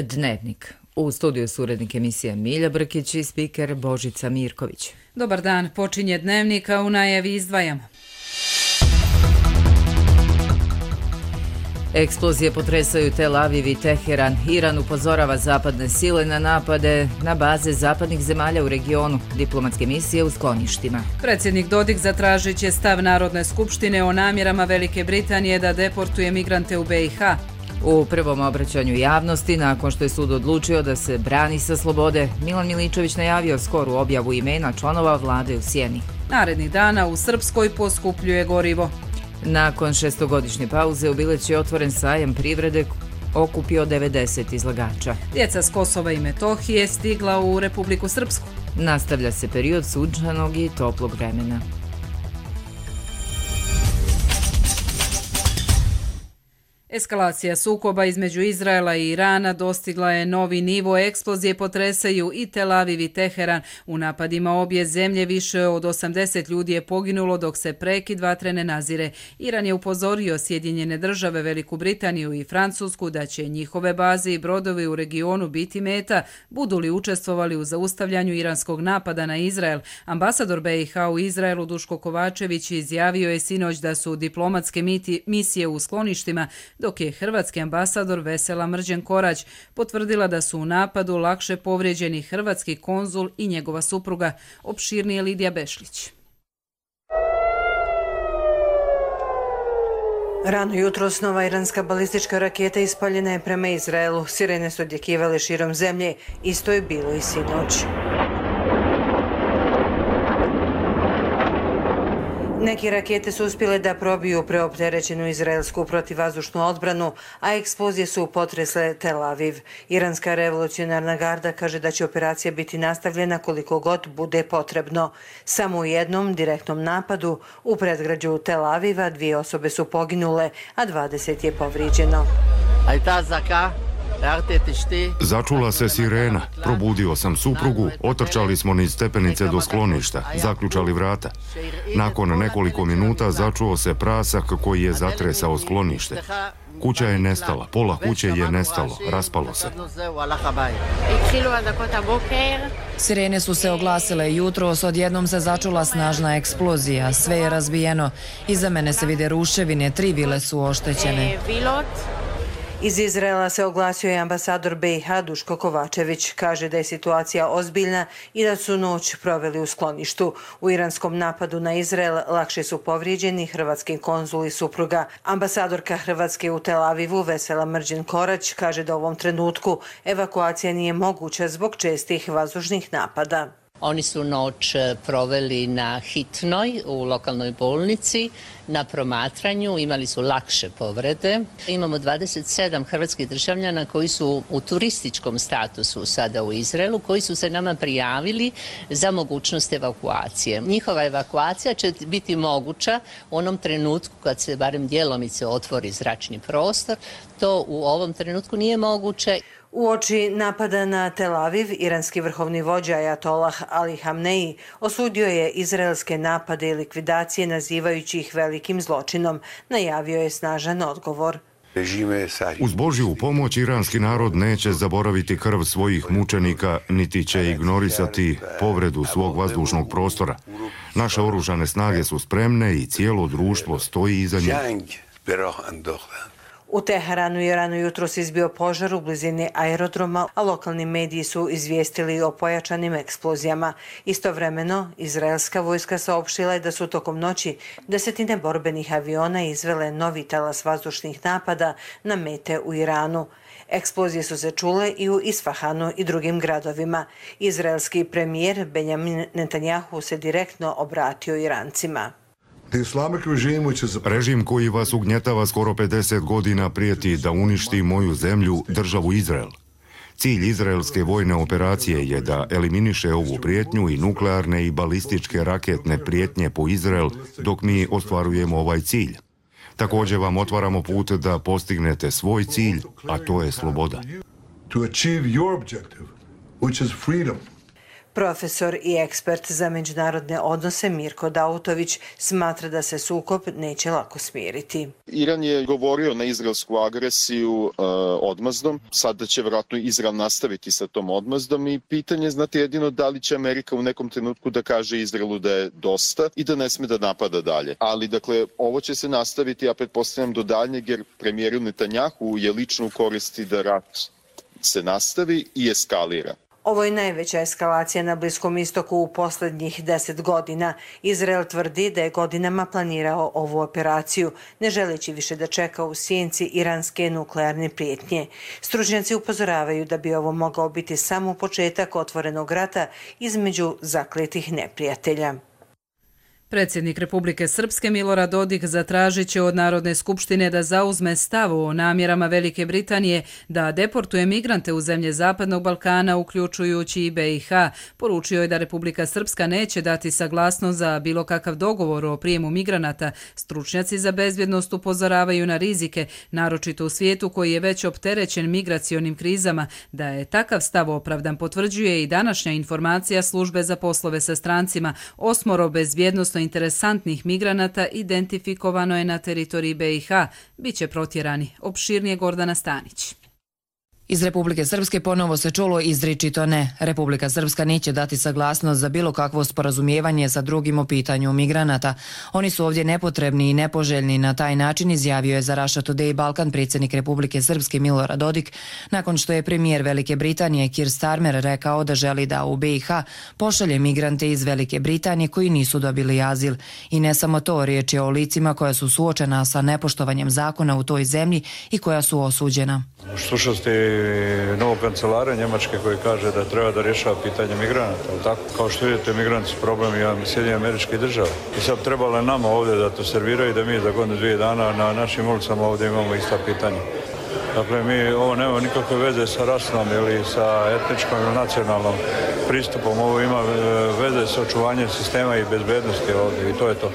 Dnevnik. U studiju su urednik emisije Milja Brkić i spiker Božica Mirković. Dobar dan, počinje Dnevnik, a u najavi izdvajamo. Eksplozije potresaju Tel Aviv i Teheran. Iran upozorava zapadne sile na napade na baze zapadnih zemalja u regionu. Diplomatske misije u skloništima. Predsjednik Dodik zatražit će stav Narodne skupštine o namjerama Velike Britanije da deportuje migrante u BiH. U prvom obraćanju javnosti, nakon što je sud odlučio da se brani sa slobode, Milan Miličević najavio skoru objavu imena članova vlade u sjeni. Narednih dana u Srpskoj poskupljuje gorivo. Nakon 6-godišnje pauze u Bileći je otvoren sajam privrede, okupio 90 izlagača. Djeca s Kosova i Metohije stigla u Republiku Srpsku. Nastavlja se period sunčanog i toplog vremena. Eskalacija sukoba između Izraela i Irana dostigla je novi nivo. Eksplozije potresaju i Tel Aviv i Teheran. U napadima obje zemlje više od 80 ljudi je poginulo dok se prekid vatre ne nazire. Iran je upozorio Sjedinjene države, Veliku Britaniju i Francusku da će njihove baze i brodovi u regionu biti meta, budu li učestvovali u zaustavljanju iranskog napada na Izrael. Ambasador BiH u Izraelu Duško Kovačević izjavio je sinoć da su diplomatske misije u skloništima, dok je hrvatski ambasador Vesela Mrđen-Korać potvrdila da su u napadu lakše povrijeđeni hrvatski konzul i njegova supruga. Opširnije Lidija Bešlić. Rano jutros nova iranska balistička raketa ispaljena je prema Izraelu. Sirene su odjekivale širom zemlje. Isto je bilo i sinoć. Neke rakete su uspjele da probiju preopterećenu izraelsku protivvazdušnu odbranu, a eksplozije su potresle Tel Aviv. Iranska revolucionarna garda kaže da će operacija biti nastavljena koliko god bude potrebno. Samo u jednom direktnom napadu u predgrađu Tel Aviva 2 osobe su poginule, a 20 je povrijeđeno. Začula se sirena, probudio sam suprugu, otrčali smo niz stepenice do skloništa, zaključali vrata. Nakon nekoliko minuta začuo se prasak koji je zatresao sklonište. Kuća je nestala, pola kuće je nestalo, raspalo se. Sirene su se oglasile jutros, odjednom se začula snažna eksplozija, sve je razbijeno. Iza mene se vide ruševine, 3 vile su oštećene. Iz Izraela se oglasio i ambasador BiH Duško Kovačević. Kaže da je situacija ozbiljna i da su noć proveli u skloništu. U iranskom napadu na Izrael lakše su povrijeđeni hrvatski konzul i supruga. Ambasadorka Hrvatske u Tel Avivu Vesela Mrđen-Korać kaže da u ovom trenutku evakuacija nije moguća zbog čestih vazdušnih napada. Oni su noć proveli na hitnoj u lokalnoj bolnici, na promatranju, imali su lakše povrede. Imamo 27 hrvatskih državljana koji su u turističkom statusu sada u Izraelu, koji su se nama prijavili za mogućnost evakuacije. Njihova evakuacija će biti moguća u onom trenutku kad se barem djelomice otvori zračni prostor. To u ovom trenutku nije moguće. Uoči napada na Tel Aviv, iranski vrhovni vođa Ajatollah Ali Hamneji osudio je izraelske napade i likvidacije nazivajući ih velikim zločinom. Najavio je snažan odgovor. Uz Božju pomoć iranski narod neće zaboraviti krv svojih mučenika, niti će ignorisati povredu svog vazdušnog prostora. Naše oružane snage su spremne i cijelo društvo stoji iza njih. U Teheranu je rano jutros izbio požar u blizini aerodroma, a lokalni mediji su izvijestili o pojačanim eksplozijama. Istovremeno, izraelska vojska saopštila je da su tokom noći 10 borbenih aviona izvele novi talas vazdušnih napada na mete u Iranu. Eksplozije su se čule i u Isfahanu i drugim gradovima. Izraelski premijer Benjamin Netanjahu se direktno obratio Irancima. Režim koji vas ugnjetava skoro 50 godina prijeti da uništi moju zemlju, državu Izrael. Cilj izraelske vojne operacije je da eliminiše ovu prijetnju i nuklearne i balističke raketne prijetnje po Izrael dok mi ostvarujemo ovaj cilj. Također vam otvaramo put da postignete svoj cilj, a to je sloboda. Profesor i ekspert za međunarodne odnose Mirko Dautović smatra da se sukob neće lako smiriti. Iran je govorio na izraelsku agresiju odmazdom, sada će vjerojatno Izrael nastaviti sa tom odmazdom i pitanje je, znate, jedino da li će Amerika u nekom trenutku da kaže Izraelu da je dosta i da ne sme da napada dalje. Ali, dakle, ovo će se nastaviti, ja pretpostavljam, do daljnjeg, jer premijeru Netanjahu je lično u koristi da rat se nastavi i eskalira. Ovo je najveća eskalacija na Bliskom istoku u posljednjih 10 godina. Izrael tvrdi da je godinama planirao ovu operaciju, ne želeći više da čeka u sjenci iranske nuklearne prijetnje. Stručnjaci upozoravaju da bi ovo mogao biti samo početak otvorenog rata između zakletih neprijatelja. Predsjednik Republike Srpske Milorad Dodik zatražit će od Narodne skupštine da zauzme stav o namjerama Velike Britanije da deportuje migrante u zemlje Zapadnog Balkana, uključujući i BiH. Poručio je da Republika Srpska neće dati saglasnost za bilo kakav dogovor o prijemu migranata. Stručnjaci za bezbjednost upozoravaju na rizike, naročito u svijetu koji je već opterećen migracionim krizama. Da je takav stav opravdan potvrđuje i današnja informacija Službe za poslove sa strancima. 8 bezbjednosno interesantnih migranata identifikovano je na teritoriji BiH. Biće protjerani. Opširnije Gordana Stanić. Iz Republike Srpske ponovo se čulo izričito ne. Republika Srpska neće dati saglasnost za bilo kakvo sporazumijevanje sa drugim o pitanju migranata. Oni su ovdje nepotrebni i nepoželjni. Na taj način izjavio je za Russia Today Balkan predsjednik Republike Srpske Milorad Dodik, nakon što je premijer Velike Britanije Keir Starmer rekao da želi da u BiH pošalje migrante iz Velike Britanije koji nisu dobili azil. I ne samo to, riječ je o licima koja su suočena sa nepoštovanjem zakona u toj zemlji i koja su osuđena. Slušao ste novog kancelara Njemačke koji kaže da treba da rješava pitanje migranata. Tako? Kao što vidite, migranti su problem i Sjedinjenih Američkih Država. I sad trebalo je nama ovdje da to serviraju i da mi za godinu 2 dana na našim ulicama ovdje imamo ista pitanja. Dakle, ovo nema nikakve veze sa rasnom ili sa etničkom ili nacionalnom pristupom. Ovo ima veze sa očuvanjem sistema i bezbednosti ovdje i to je to.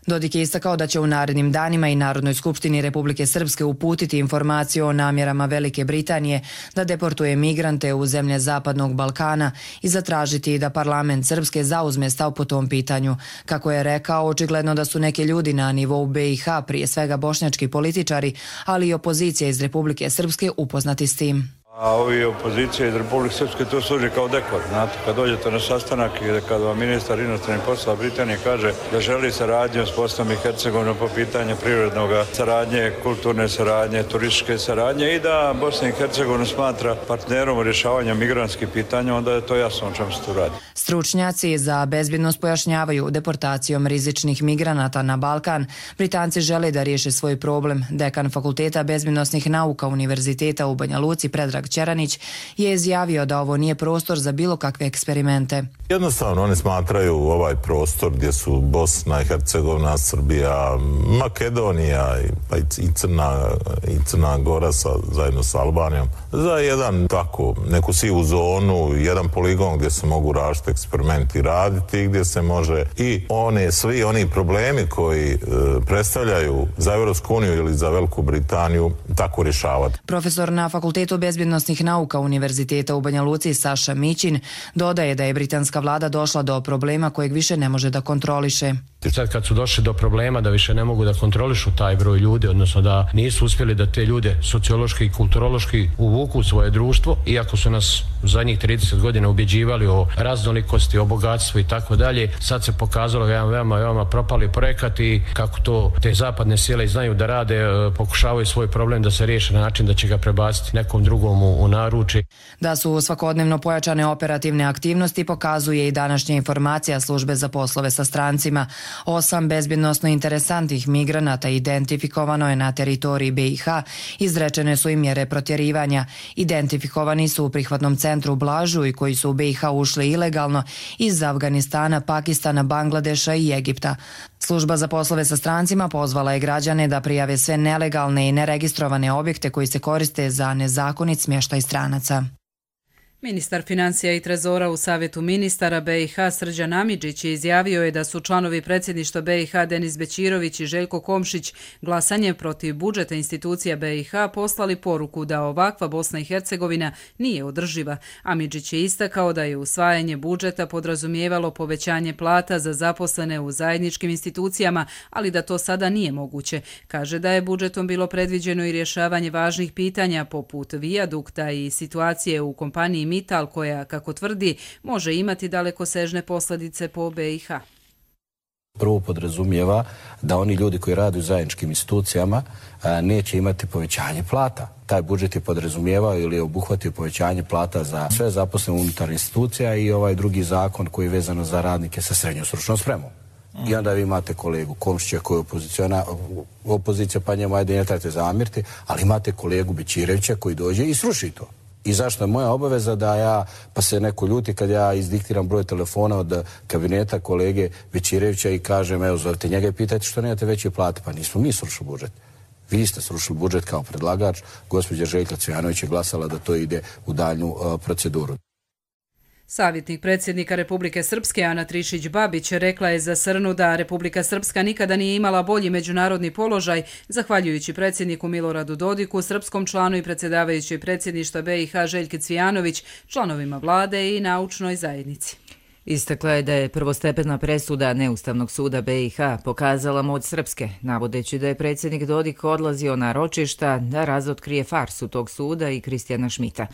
Dodik je istakao da će u narednim danima i Narodnoj skupštini Republike Srpske uputiti informaciju o namjerama Velike Britanije da deportuje migrante u zemlje Zapadnog Balkana i zatražiti da parlament Srpske zauzme stav po tom pitanju. Kako je rekao, očigledno da su neki ljudi na nivou BiH, prije svega bošnjački političari, ali i opozicija iz Republike Srpske upoznati s tim. A ovi opozicije iz Republike Srpske to služi kao dekor. Znate, kad dođete na sastanak i kad vam ministar inostranih poslova Britanije kaže da želi saradnju s Bosnom i Hercegovinom po pitanju prirodnog saradnje, kulturne saradnje, turističke saradnje i da Bosna i Hercegovina smatra partnerom u rješavanju migrantskih pitanja, onda je to jasno o čemu se tu radi. Stručnjaci za bezbjednost pojašnjavaju deportacijom rizičnih migranata na Balkan. Britanci žele da riješe svoj problem. Dekan Fakulteta bezbjednosnih nauka Univerziteta u Banja Luci Predrag Čeranić je izjavio da ovo nije prostor za bilo kakve eksperimente. Jednostavno oni smatraju ovaj prostor gdje su Bosna i Hercegovina, Srbija, Makedonija pa i Crna Gora zajedno sa Albanijom za jedan tako neku sivu zonu, jedan poligon gdje se mogu različiti eksperimenti raditi, gdje se može i svi oni problemi koji predstavljaju za Europsku uniju ili za Veliku Britaniju tako rješavati. Profesor na Fakultetu bezbjednosnih nauka Univerziteta u Banja Luci Saša Mićin dodaje da je britanska vlada došla do problema kojeg više ne može da kontroliše. Sad kad su došli do problema da više ne mogu da kontrolišu taj broj ljudi, odnosno da nisu uspjeli da te ljude sociološki i kulturološki uvuku u svoje društvo, iako su nas u zadnjih 30 godina ubjeđivali o raznolikosti, o bogatstvu i tako dalje, sad se pokazalo jedan veoma propali projekat i kako to te zapadne sile znaju da rade, pokušavaju svoj problem da se riješe na način da će ga prebaciti nekom drugom u naručje. Da su svakodnevno pojačane operativne aktivnosti pokazuje i današnja informacija Službe za poslove sa strancima. 8 bezbjednosno interesantnih migranata identifikovano je na teritoriji BiH, izrečene su i mjere protjerivanja. Identifikovani su u prihvatnom centru Blažu i koji su u BiH ušli ilegalno iz Afganistana, Pakistana, Bangladeša i Egipta. Služba za poslove sa strancima pozvala je građane da prijave sve nelegalne i neregistrovane objekte koji se koriste za nezakonit smještaj stranaca. Ministar financija i trezora u Savjetu ministara BiH Srđan Amidžić izjavio je da su članovi predsjedništva BiH Denis Bećirović i Željko Komšić glasanjem protiv budžeta institucija BiH poslali poruku da ovakva Bosna i Hercegovina nije održiva. Amidžić je istakao da je usvajanje budžeta podrazumijevalo povećanje plata za zaposlene u zajedničkim institucijama, ali da to sada nije moguće. Kaže da je budžetom bilo predviđeno i rješavanje važnih pitanja poput vijadukta i situacije u kompaniji Mittal koja, kako tvrdi, može imati dalekosežne posljedice po BiH. Prvo podrazumijeva da oni ljudi koji rade u zajedničkim institucijama neće imati povećanje plata. Taj budžet je podrazumijevao ili je obuhvatio povećanje plata za sve zaposlene unutar institucija i ovaj drugi zakon koji je vezano za radnike sa srednjom stručnom spremom. I onda vi imate kolegu Komšića koji je opozicija, pa njemu ajde ne trebate zamjeriti, ali imate kolegu Bećirevića koji dođe i sruši to. I zašto je moja obaveza da ja, pa se neko ljuti kad ja izdiktiram broj telefona od kabineta kolege Bećirevića i kažem, evo zovite njega i pitajte što nemate veće plate. Pa nismo mi srušili budžet. Vi ste srušili budžet kao predlagač, gospođa Željka Cvijanović je glasala da to ide u daljnju proceduru. Savjetnik predsjednika Republike Srpske Ana Trišić-Babić rekla je za Srnu da Republika Srpska nikada nije imala bolji međunarodni položaj, zahvaljujući predsjedniku Miloradu Dodiku, srpskom članu i predsjedavajućoj predsjedništva BiH Željke Cvijanović, članovima vlade i naučnoj zajednici. Istakla je da je prvostepena presuda Neustavnog suda BiH pokazala moć Srpske, navodeći da je predsjednik Dodik odlazio na ročišta da razotkrije farsu tog suda i Kristijana Šmita.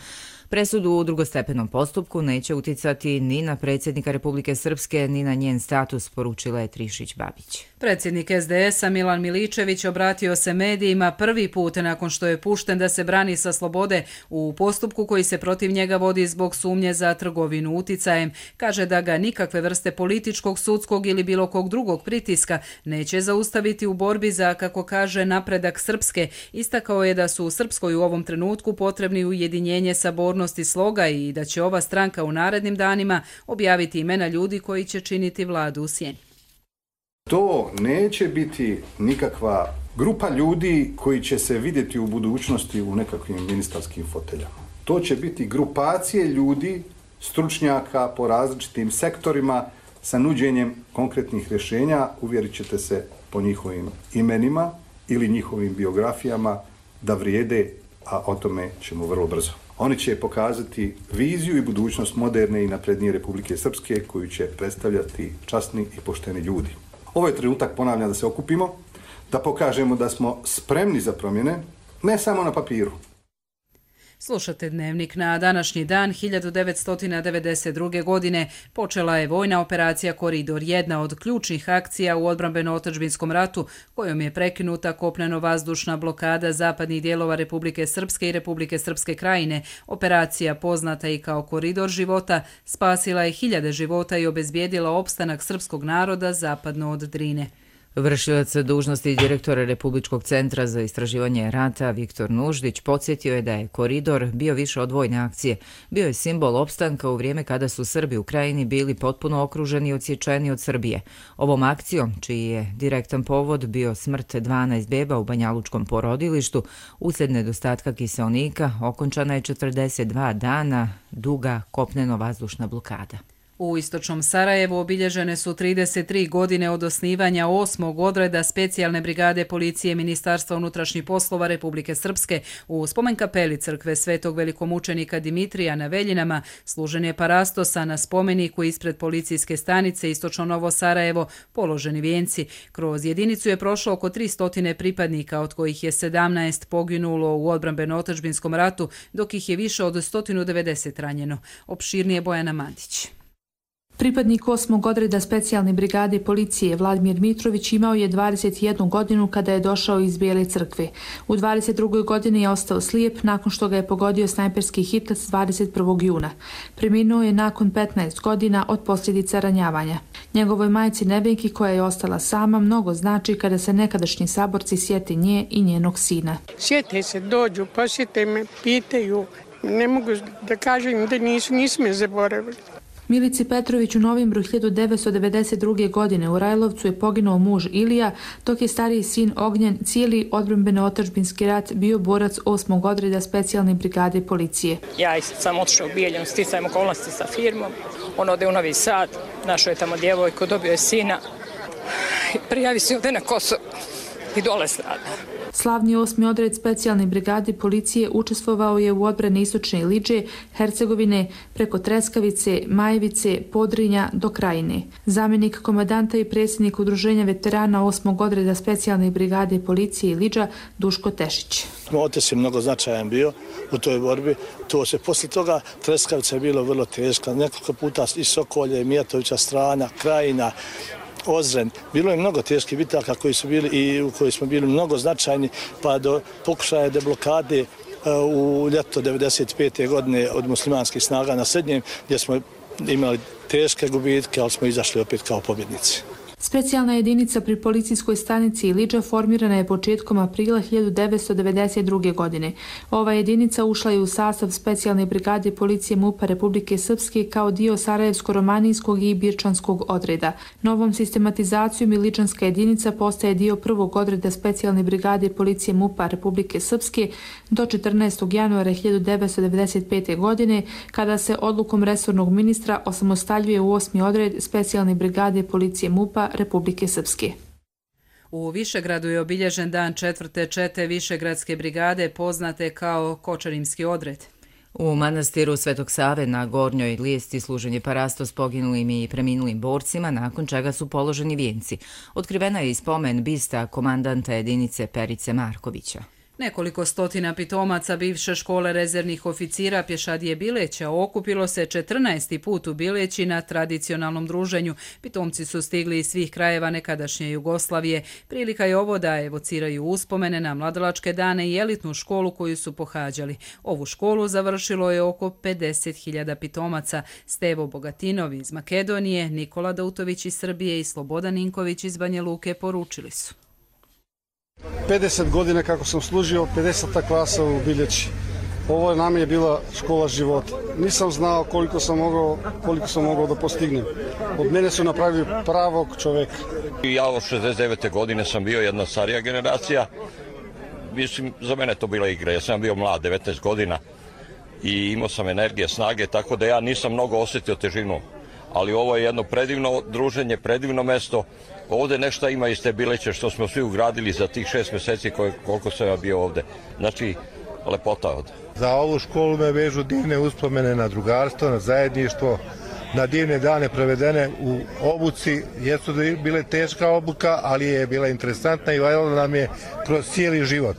Presudu u drugostepenom postupku neće uticati ni na predsjednika Republike Srpske, ni na njen status, poručila je Trišić-Babić. Predsjednik SDS-a Milan Miličević obratio se medijima prvi put nakon što je pušten da se brani sa slobode u postupku koji se protiv njega vodi zbog sumnje za trgovinu uticajem. Kaže da ga nikakve vrste političkog, sudskog ili bilo kog drugog pritiska neće zaustaviti u borbi za, kako kaže, napredak Srpske. Istakao je da su u Srpskoj u ovom trenutku potrebni ujedinjenje, sabornost i sloga i da će ova stranka u narednim danima objaviti imena ljudi koji će činiti vladu u sjeni. To neće biti nikakva grupa ljudi koji će se vidjeti u budućnosti u nekakvim ministarskim foteljama. To će biti grupacije ljudi, stručnjaka po različitim sektorima sa nuđenjem konkretnih rješenja. Uvjerit ćete se po njihovim imenima ili njihovim biografijama da vrijede, a o tome ćemo vrlo brzo. Oni će pokazati viziju i budućnost moderne i naprednije Republike Srpske koju će predstavljati časni i pošteni ljudi. Ovo je trenutak, ponavljam, da se okupimo, da pokažemo da smo spremni za promjene, ne samo na papiru. Slušate Dnevnik. Na današnji dan 1992. godine počela je vojna operacija Koridor, jedna od ključnih akcija u odbrambeno-otadžbinskom ratu, kojom je prekinuta kopneno-vazdušna blokada zapadnih dijelova Republike Srpske i Republike Srpske krajine. Operacija, poznata i kao Koridor života, spasila je hiljade života i obezbijedila opstanak srpskog naroda zapadno od Drine. Vršilac dužnosti direktora Republičkog centra za istraživanje rata Viktor Nuždić podsjetio je da je Koridor bio više od vojne akcije. Bio je simbol opstanka u vrijeme kada su Srbi u krajini bili potpuno okruženi i odsječeni od Srbije. Ovom akcijom, čiji je direktan povod bio smrt 12 beba u banjalučkom porodilištu, uslijed nedostatka kiseonika, okončana je 42 dana duga kopneno-vazdušna blokada. U istočnom Sarajevu obilježene su 33 godine od osnivanja 8. odreda specijalne brigade policije Ministarstva unutrašnjih poslova Republike Srpske. U spomen kapeli crkve Svetog velikomučenika Dimitrija na Veljinama služen je parastos, a na spomeniku ispred policijske stanice Istočno Novo Sarajevo položeni vijenci. Kroz jedinicu je prošlo oko 300 pripadnika, od kojih je 17 poginulo u odbrambeno-otadžbinskom ratu, dok ih je više od 190 ranjeno. Opširnije Bojana Mandić. Pripadnik 8. odreda specijalne brigade policije Vladimir Mitrović imao je 21 godinu kada je došao iz Bijele crkve. U 22. godini je ostao slijep nakon što ga je pogodio snajperski hitlac 21. juna. Preminuo je nakon 15 godina od posljedica ranjavanja. Njegovoj majci Nevenki, koja je ostala sama, mnogo znači kada se nekadašnji saborci sjete nje i njenog sina. Sjete se, dođu, posjete me, pitaju. Ne mogu da kažem da nisu me zaboravili. Milici Petrović u novembru 1992. godine u Rajlovcu je poginuo muž Ilija, dok je stariji sin Ognjen cijeli odbrambeno-otadžbinski rat bio borac 8. odreda specijalne brigade policije. Ja sam otišao u Bijeljinu, sticajem okolnosti sa firmom. On ode u Novi Sad, našao je tamo djevojku, dobio je sina, prijavi se ovdje na Kosovo i dole strada. Slavni 8. odred specijalne brigade policije učestvovao je u odbrani istočne Iliđe, Hercegovine, preko Treskavice, Majevice, Podrinja do Krajine. Zamjenik komandanta i predsjednik udruženja veterana 8. odreda specijalne brigade policije Iliđa Duško Tešić. Otac je mnogo značajan bio u toj borbi. To se poslije toga Treskavica je bilo vrlo teška. Nekoliko puta i Sokolje, Mijatovića strana, Krajina, Ozren. Bilo je mnogo teških bitaka koji su bili i u kojoj smo bili mnogo značajni, pa do pokušaja deblokade u ljeto 1995. godine od muslimanskih snaga na Srednjem, gdje smo imali teške gubitke, ali smo izašli opet kao pobjednici. Specijalna jedinica pri policijskoj stanici Iliđa formirana je početkom aprila 1992. godine. Ova jedinica ušla je u sastav specijalne brigade policije MUP-a Republike Srpske kao dio Sarajevsko-romanijskog i Birčanskog odreda. Novom sistematizacijom Iliđanska jedinica postaje dio 1. odreda specijalne brigade policije MUP-a Republike Srpske do 14. januara 1995. godine, kada se odlukom resornog ministra osamostaljuje u 8. odred specijalne brigade policije MUP-a Republike Srpske. U Višegradu je obilježen dan 4. čete Višegradske brigade, poznate kao Kočarimski odred. U manastiru Svetog Save na Gornjoj Lijesti služen je parasto s poginulim i preminulim borcima, nakon čega su položeni vijenci. Otkrivena je i spomen bista komandanta jedinice Perice Markovića. Nekoliko stotina pitomaca bivše škole rezervnih oficira Pješadije Bileća okupilo se 14. put u Bileći na tradicionalnom druženju. Pitomci su stigli iz svih krajeva nekadašnje Jugoslavije. Prilika je ovo da evociraju uspomene na mladalačke dane i elitnu školu koju su pohađali. Ovu školu završilo je oko 50.000 pitomaca. Stevo Bogatinov iz Makedonije, Nikola Dautović iz Srbije i Slobodan Ninković iz Banja Luke poručili su. 50 godina kako sam služio, 50. klasa u Biljeći. Ovo nam je bila škola života. Nisam znao koliko sam mogao da postignem. Od mene su napravili pravog čoveka. Ja od 69. godine sam bio jedna starija generacija. Mislim, za mene to bila igra. Ja sam bio mlad, 19 godina i imao sam energije, snage, tako da ja nisam mnogo osjetio težinu. Ali ovo je jedno predivno druženje, predivno mesto. Ovdje nešto ima iz te Bileće što smo svi ugradili za tih 6 mjeseci koliko sam ja bio ovdje. Znači, lepota ovdje. Za ovu školu me vežu divne uspomene na drugarstvo, na zajedništvo, na divne dane provedene u obuci. Jesu bile teška obuka, ali je bila interesantna i valjala nam je kroz cijeli život.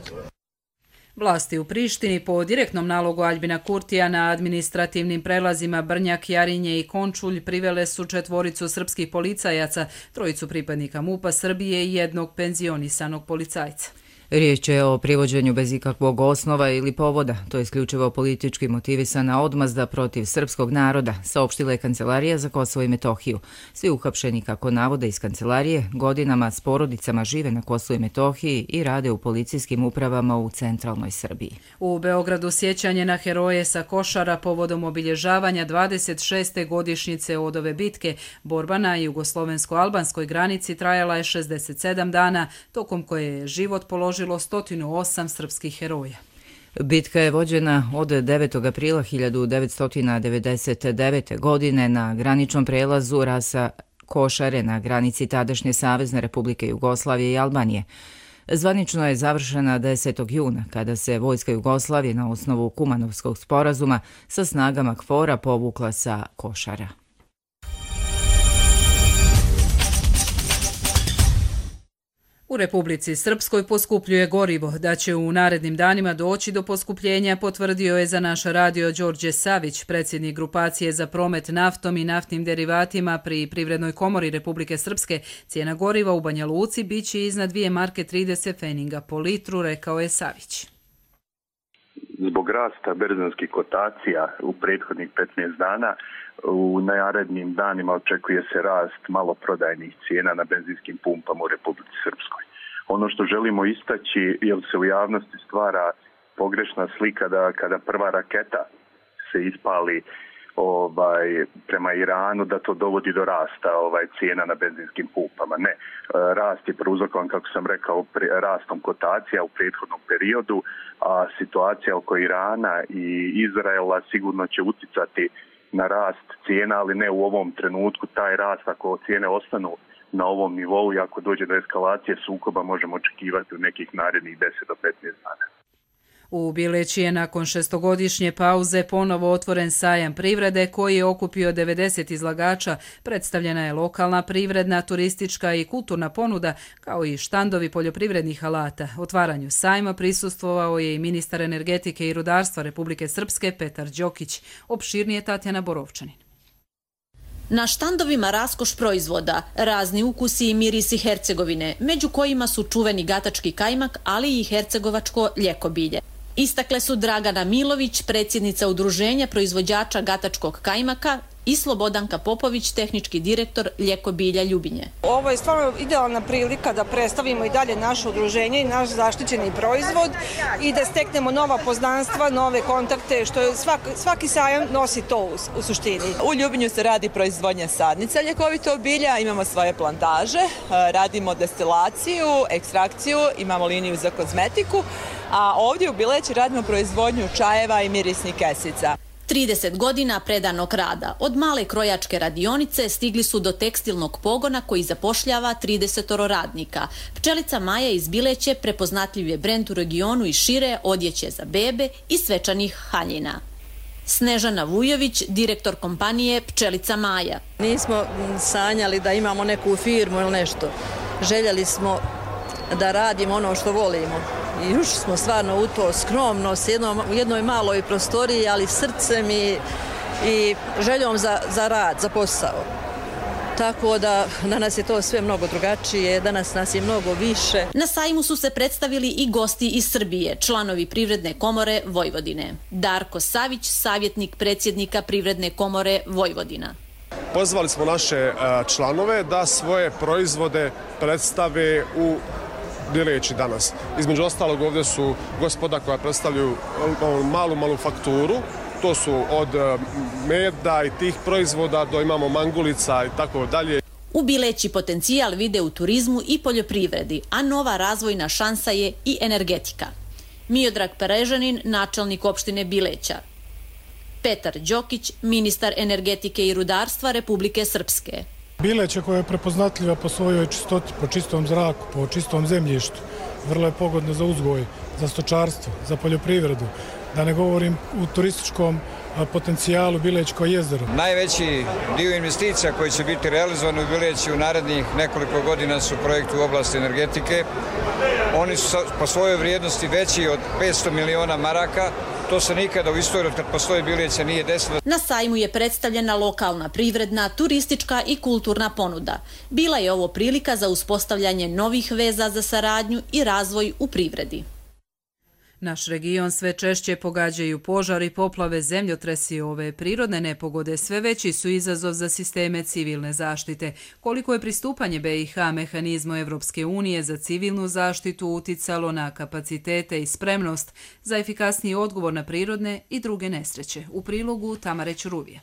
Vlasti u Prištini po direktnom nalogu Aljbina Kurtija na administrativnim prelazima Brnjak, Jarinje i Končulj privele su 4 srpskih policajaca, 3 pripadnika MUP-a Srbije i 1 penzionisanog policajca. Riječ je o privođenju bez ikakvog osnova ili povoda. To je isključivo politički motivisana odmazda protiv srpskog naroda, saopštila je Kancelarija za Kosovo i Metohiju. Svi uhapšeni, kako navode iz kancelarije, godinama s porodicama žive na Kosovu i Metohiji i rade u policijskim upravama u centralnoj Srbiji. U Beogradu sjećanje na heroje sa Košara povodom obilježavanja 26. godišnjice od ove bitke. Borba na jugoslovensko-albanskoj granici trajala je 67 dana, tokom koje je život položilo 108 srpskih heroja. Bitka je vođena od 9. aprila 1999. godine na graničnom prelazu Rasa Košare na granici tadašnje Savezne Republike Jugoslavije i Albanije. Zvanično je završena 10. juna, kada se vojska Jugoslavije na osnovu Kumanovskog sporazuma sa snagama KFOR-a povukla sa Košara. U Republici Srpskoj poskupljuje gorivo. Da će u narednim danima doći do poskupljenja, potvrdio je za naš radio Đorđe Savić, predsjednik grupacije za promet naftom i naftnim derivatima pri Privrednoj komori Republike Srpske. Cijena goriva u Banja Luci biće iznad 2 marke 30 feninga po litru, rekao je Savić. Zbog rasta berzanskih kotacija u prethodnih 15 dana, u narednim danima očekuje se rast maloprodajnih cijena na benzinskim pumpama u Republici Srpskoj. Ono što želimo istaći, jer se u javnosti stvara pogrešna slika da kada prva raketa se ispali prema Iranu, da to dovodi do rasta cijena na benzinskim pumpama. Ne, rast je prouzrokovan, kako sam rekao, rastom kotacija u prethodnom periodu, a situacija oko Irana i Izraela sigurno će uticati na rast cijena, ali ne u ovom trenutku. Taj rast, ako cijene ostanu na ovom nivou i ako dođe do eskalacije sukoba, možemo očekivati u nekih narednih 10 do 15 dana. U Bileći je nakon 6-godišnje pauze ponovo otvoren sajam privrede koji je okupio 90 izlagača. Predstavljena je lokalna privredna, turistička i kulturna ponuda, kao i štandovi poljoprivrednih alata. Otvaranju sajma prisustvovao je i ministar energetike i rudarstva Republike Srpske Petar Đokić. Opširnije Tatjana Borovčanin. Na štandovima raskoš proizvoda, razni ukusi i mirisi Hercegovine, među kojima su čuveni gatački kajmak, ali i hercegovačko ljekobilje. Istakle su Dragana Milović, predsjednica udruženja proizvođača gatačkog kajmaka, i Slobodanka Popović, tehnički direktor ljekobilja Ljubinje. Ovo je stvarno idealna prilika da predstavimo i dalje naše udruženje i naš zaštićeni proizvod i da steknemo nova poznanstva, nove kontakte, što je svaki sajam nosi to u suštini. U Ljubinju se radi proizvodnja sadnica ljekovitog bilja, imamo svoje plantaže, radimo destilaciju, ekstrakciju, imamo liniju za kozmetiku, a ovdje u Bileći radimo proizvodnju čajeva i mirisnih kesica. 30 godina predanog rada. Od male krojačke radionice stigli su do tekstilnog pogona koji zapošljava 30 radnika. Pčelica Maja iz Bileće prepoznatljiv je brend u regionu i šire, odjeće za bebe i svečanih haljina. Snežana Vujović, direktor kompanije Pčelica Maja. Nismo sanjali da imamo neku firmu ili nešto. Željeli smo da radimo ono što volimo. I ušli smo stvarno u to skromno, u jednoj maloj prostoriji, ali srcem i željom za rad, za posao. Tako da danas je to sve mnogo drugačije, danas nas je mnogo više. Na sajmu su se predstavili i gosti iz Srbije, članovi Privredne komore Vojvodine. Darko Savić, savjetnik predsjednika Privredne komore Vojvodina. Pozvali smo naše članove da svoje proizvode predstave u Bileći danas. Između ostalog ovdje su gospoda koja predstavljaju malu manufakturu, to su od meda i tih proizvoda do imamo mangulica i tako dalje. U Bileći potencijal vide u turizmu i poljoprivredi, a nova razvojna šansa je i energetika. Miodrag Perežanin, načelnik opštine Bileća. Petar Đokić, ministar energetike i rudarstva Republike Srpske. Bileće koja je prepoznatljiva po svojoj čistoti, po čistom zraku, po čistom zemljištu, vrlo je pogodno za uzgoj, za stočarstvo, za poljoprivredu, da ne govorim u turističkom potencijalu Bilećko jezero. Najveći dio investicija koji će biti realizovani u Bileći u narednih nekoliko godina su projekti u oblasti energetike. Oni su po svojoj vrijednosti veći od 500 miliona maraka. To se nikada u istoriji od kad postoji Bileća nije desilo. Na sajmu je predstavljena lokalna privredna, turistička i kulturna ponuda. Bila je ovo prilika za uspostavljanje novih veza za saradnju i razvoj u privredi. Naš region sve češće pogađaju požari, poplave, zemljotresi. Ove prirodne nepogode sve veći su izazov za sisteme civilne zaštite. Koliko je pristupanje BiH mehanizmu Evropske unije za civilnu zaštitu uticalo na kapacitete i spremnost za efikasniji odgovor na prirodne i druge nesreće. U prilogu Tamare Ćuruvije.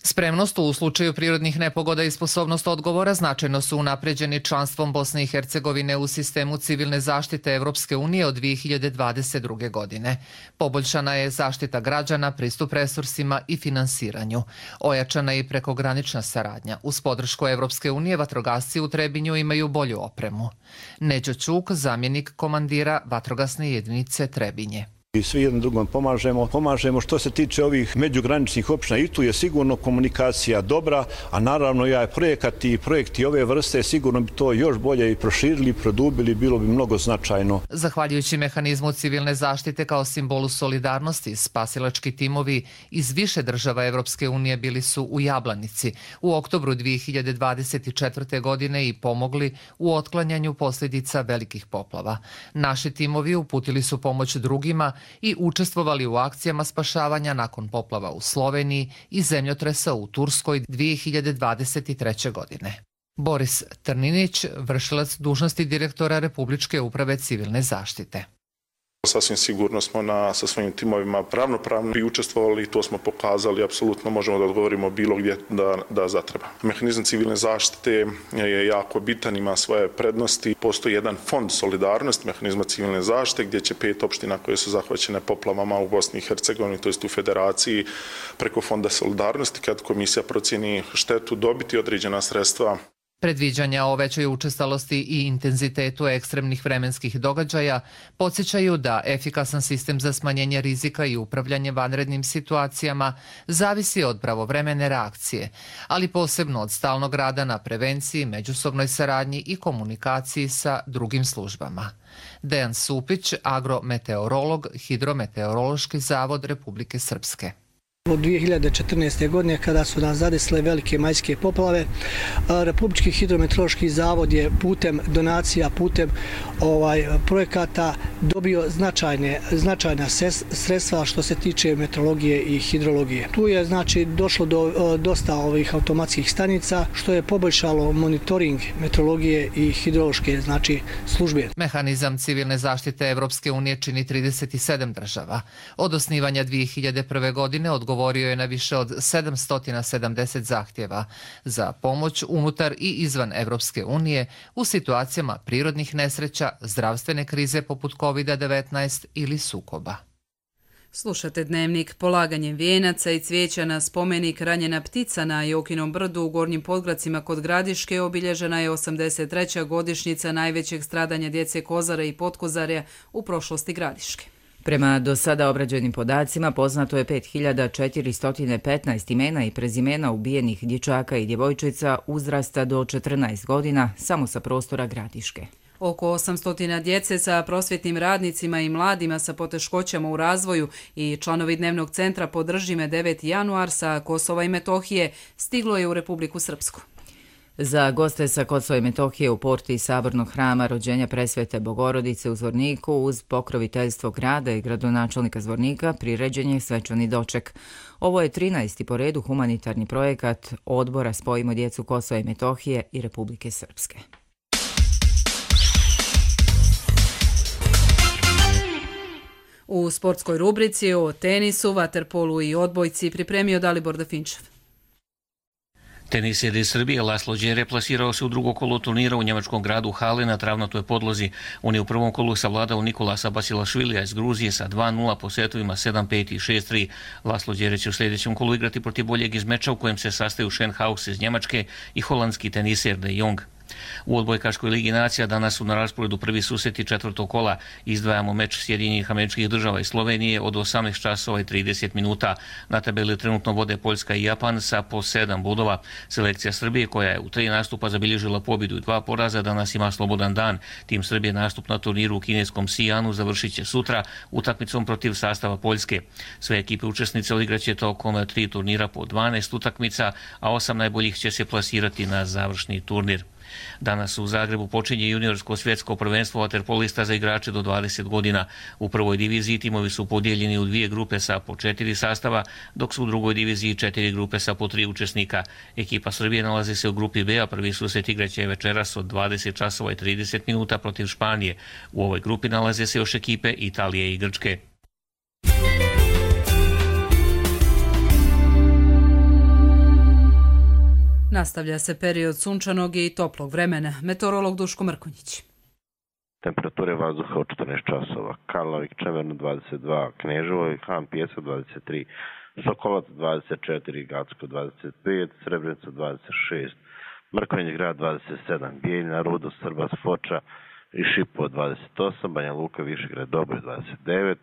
Spremnost u slučaju prirodnih nepogoda i sposobnost odgovora značajno su unapređeni članstvom Bosne i Hercegovine u sistemu civilne zaštite Evropske unije od 2022. godine. Poboljšana je zaštita građana, pristup resursima i finansiranju. Ojačana je i prekogranična saradnja. Uz podršku Evropske unije vatrogasci u Trebinju imaju bolju opremu. Neđo Ćuk, zamjenik komandira vatrogasne jedinice Trebinje. I svi jednom drugom pomažemo što se tiče ovih međugraničnih opština i tu je sigurno komunikacija dobra, a naravno projekat i projekti ove vrste sigurno bi to još bolje i proširili, produbili, bilo bi mnogo značajno. Zahvaljujući mehanizmu civilne zaštite kao simbolu solidarnosti, spasilački timovi iz više država Evropske unije bili su u Jablanici u oktobru 2024. godine i pomogli u otklanjanju posljedica velikih poplava. Naši timovi uputili su pomoć drugima i učestvovali u akcijama spašavanja nakon poplava u Sloveniji i zemljotresa u Turskoj 2023. godine. Boris Trninić, vršilac dužnosti direktora Republičke uprave civilne zaštite. Sasvim sigurno smo sa svojim timovima ravnopravno i učestvovali i to smo pokazali, apsolutno možemo da odgovorimo bilo gdje da zatreba. Mehanizam civilne zaštite je jako bitan, ima svoje prednosti. Postoji jedan fond solidarnosti mehanizma civilne zaštite gdje će 5 opština koje su zahvaćene poplavama u Bosni i Hercegovini, to jest u Federaciji, preko fonda solidarnosti, kad komisija procjeni štetu, dobiti određena sredstva. Predviđanja o većoj učestalosti i intenzitetu ekstremnih vremenskih događaja podsjećaju da efikasan sistem za smanjenje rizika i upravljanje vanrednim situacijama zavisi od pravovremene reakcije, ali posebno od stalnog rada na prevenciji, međusobnoj saradnji i komunikaciji sa drugim službama. Dejan Supić, agrometeorolog, Hidrometeorološki zavod Republike Srpske. Od 2014. godine kada su nas zadesile velike majske poplave, Republički hidrometeorološki zavod je putem donacija, putem projekata dobio značajna sredstva što se tiče meteorologije i hidrologije. Tu je došlo do dosta ovih automatskih stanica što je poboljšalo monitoring meteorologije i hidrološke službe. Mehanizam civilne zaštite Evropske unije čini 37 država. Od osnivanja 2001. godine odgovorio je na više od 770 zahtjeva za pomoć unutar i izvan Evropske unije u situacijama prirodnih nesreća, zdravstvene krize poput COVID-19 ili sukoba. Slušate Dnevnik. Polaganjem vijenaca i cvijeća na spomenik Ranjena ptica na Jokinom brdu u Gornjim Podgracima kod Gradiške obilježena je 83. godišnjica najvećeg stradanja djece Kozara i Potkozarja u prošlosti Gradiške. Prema do sada obrađenim podacima poznato je 5415 imena i prezimena ubijenih dječaka i djevojčica uzrasta do 14 godina samo sa prostora Gradiške. Oko 800 djece sa prosvjetnim radnicima i mladima sa poteškoćama u razvoju i članovi Dnevnog centra Podrži me 9. januar sa Kosova i Metohije stiglo je u Republiku Srpsku. Za goste sa Kosova i Metohije u porti Sabornog hrama rođenja Presvete Bogorodice u Zvorniku uz pokroviteljstvo grada i gradonačelnika Zvornika priređen je svečani doček. Ovo je 13. po redu humanitarni projekat odbora Spojimo djecu Kosova i Metohije i Republike Srpske. U sportskoj rubrici o tenisu, vaterpolu i odbojci pripremio Dalibor Dafinčev. Tenisjer iz Srbije Laslo Đere plasirao se u drugo kolo turnira u njemačkom gradu Hale na travnatoj podlozi. On je u prvom kolu savladao Nikolasa Basilašvilija iz Gruzije sa 2-0 po setovima 7-5 i 6-3. Laslo Đere će u sljedećem kolu igrati protiv boljeg iz meča u kojem se sastaju Schenhaus iz Njemačke i holandski tenisjer De Jong. U odbojkaškoj ligi nacija danas su na rasporedu prvi susreti četvrtog kola. Izdvajamo meč Sjedinjenih Američkih Država i Slovenije od 18 časova i 30 minuta. Na tabeli trenutno vode Poljska i Japan sa po 7 bodova. Selekcija Srbije, koja je u 3 nastupa zabilježila pobjedu i 2 poraza, danas ima slobodan dan. Tim Srbije nastup na turniru u kineskom Sijanu završit će sutra utakmicom protiv sastava Poljske. Sve ekipe učesnice odigraće tokom 3 turnira po 12 utakmica, a 8 najboljih će se plasirati na završni turnir. Danas u Zagrebu počinje juniorsko svjetsko prvenstvo vaterpolista za igrače do 20 godina. U prvoj diviziji timovi su podijeljeni u 2 grupe sa po 4 sastava, dok su u drugoj diviziji 4 grupe sa po 3 učesnika. Ekipa Srbije nalazi se u grupi B, a prvi susret igraće večeras od 20 časova i 30 minuta protiv Španije. U ovoj grupi nalaze se još ekipe Italije i Grčke. Nastavlja se period sunčanog i toplog vremena. Meteorolog Duško Mrkonjić. Temperature vazduha od 14 časova. Karlovik, Čemerno 22, Kneževo i Han Pjesak 23, Sokolac 24, Gacko 25, Srebrenica 26, Mrkonjić grad 27, Bijeljina, Rudo, Srbas, Foča i Šipo 28, Banja Luka, Višegrad, Doboj 29,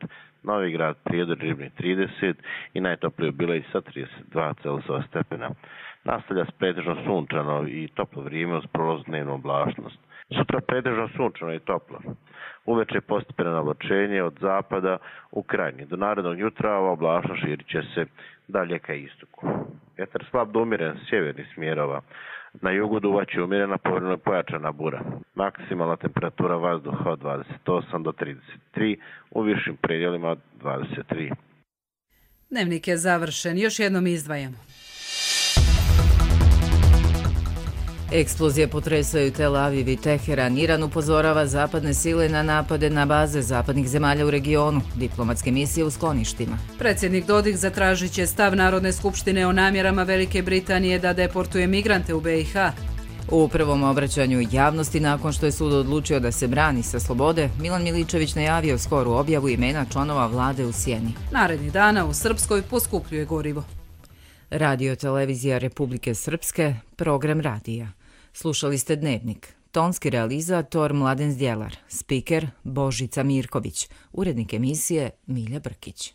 Novi grad, Prijedor, Ribnik 30 i najtoplije u Bileji sa 32 Celzijeva stepena. Nastavlja se pretežno sunčano i toplo vrijeme uz prolaznu oblačnost. Sutra pretežno sunčano i toplo. Uveče postepeno navlačenje od zapada u krajnji. Do narednog jutra ova oblačnost širit će se dalje ka istoku. Vjetar slab do umjeren sjevernih smjerova. Na jugu duvaće umjerena, povremeno pojačana bura. Maksimalna temperatura vazduha od 28 do 33, u višim predjelima od 23. Dnevnik je završen. Još jednom izdvajamo. Eksplozije potresaju Tel Aviv i Teheran. Iran upozorava zapadne sile na napade na baze zapadnih zemalja u regionu, diplomatske misije u skloništima. Predsjednik Dodik zatražit će stav Narodne skupštine o namjerama Velike Britanije da deportuje migrante u BiH. U prvom obraćanju javnosti nakon što je sud odlučio da se brani sa slobode, Milan Miličević najavio skoru objavu imena članova vlade u sjeni. Narednih dana u Srpskoj poskupljuje gorivo. Radio Televizija Republike Srpske, program radija. Slušali ste Dnevnik. Tonski realizator Mladen Zdjelar, spiker Božica Mirković, urednik emisije Milja Brkić.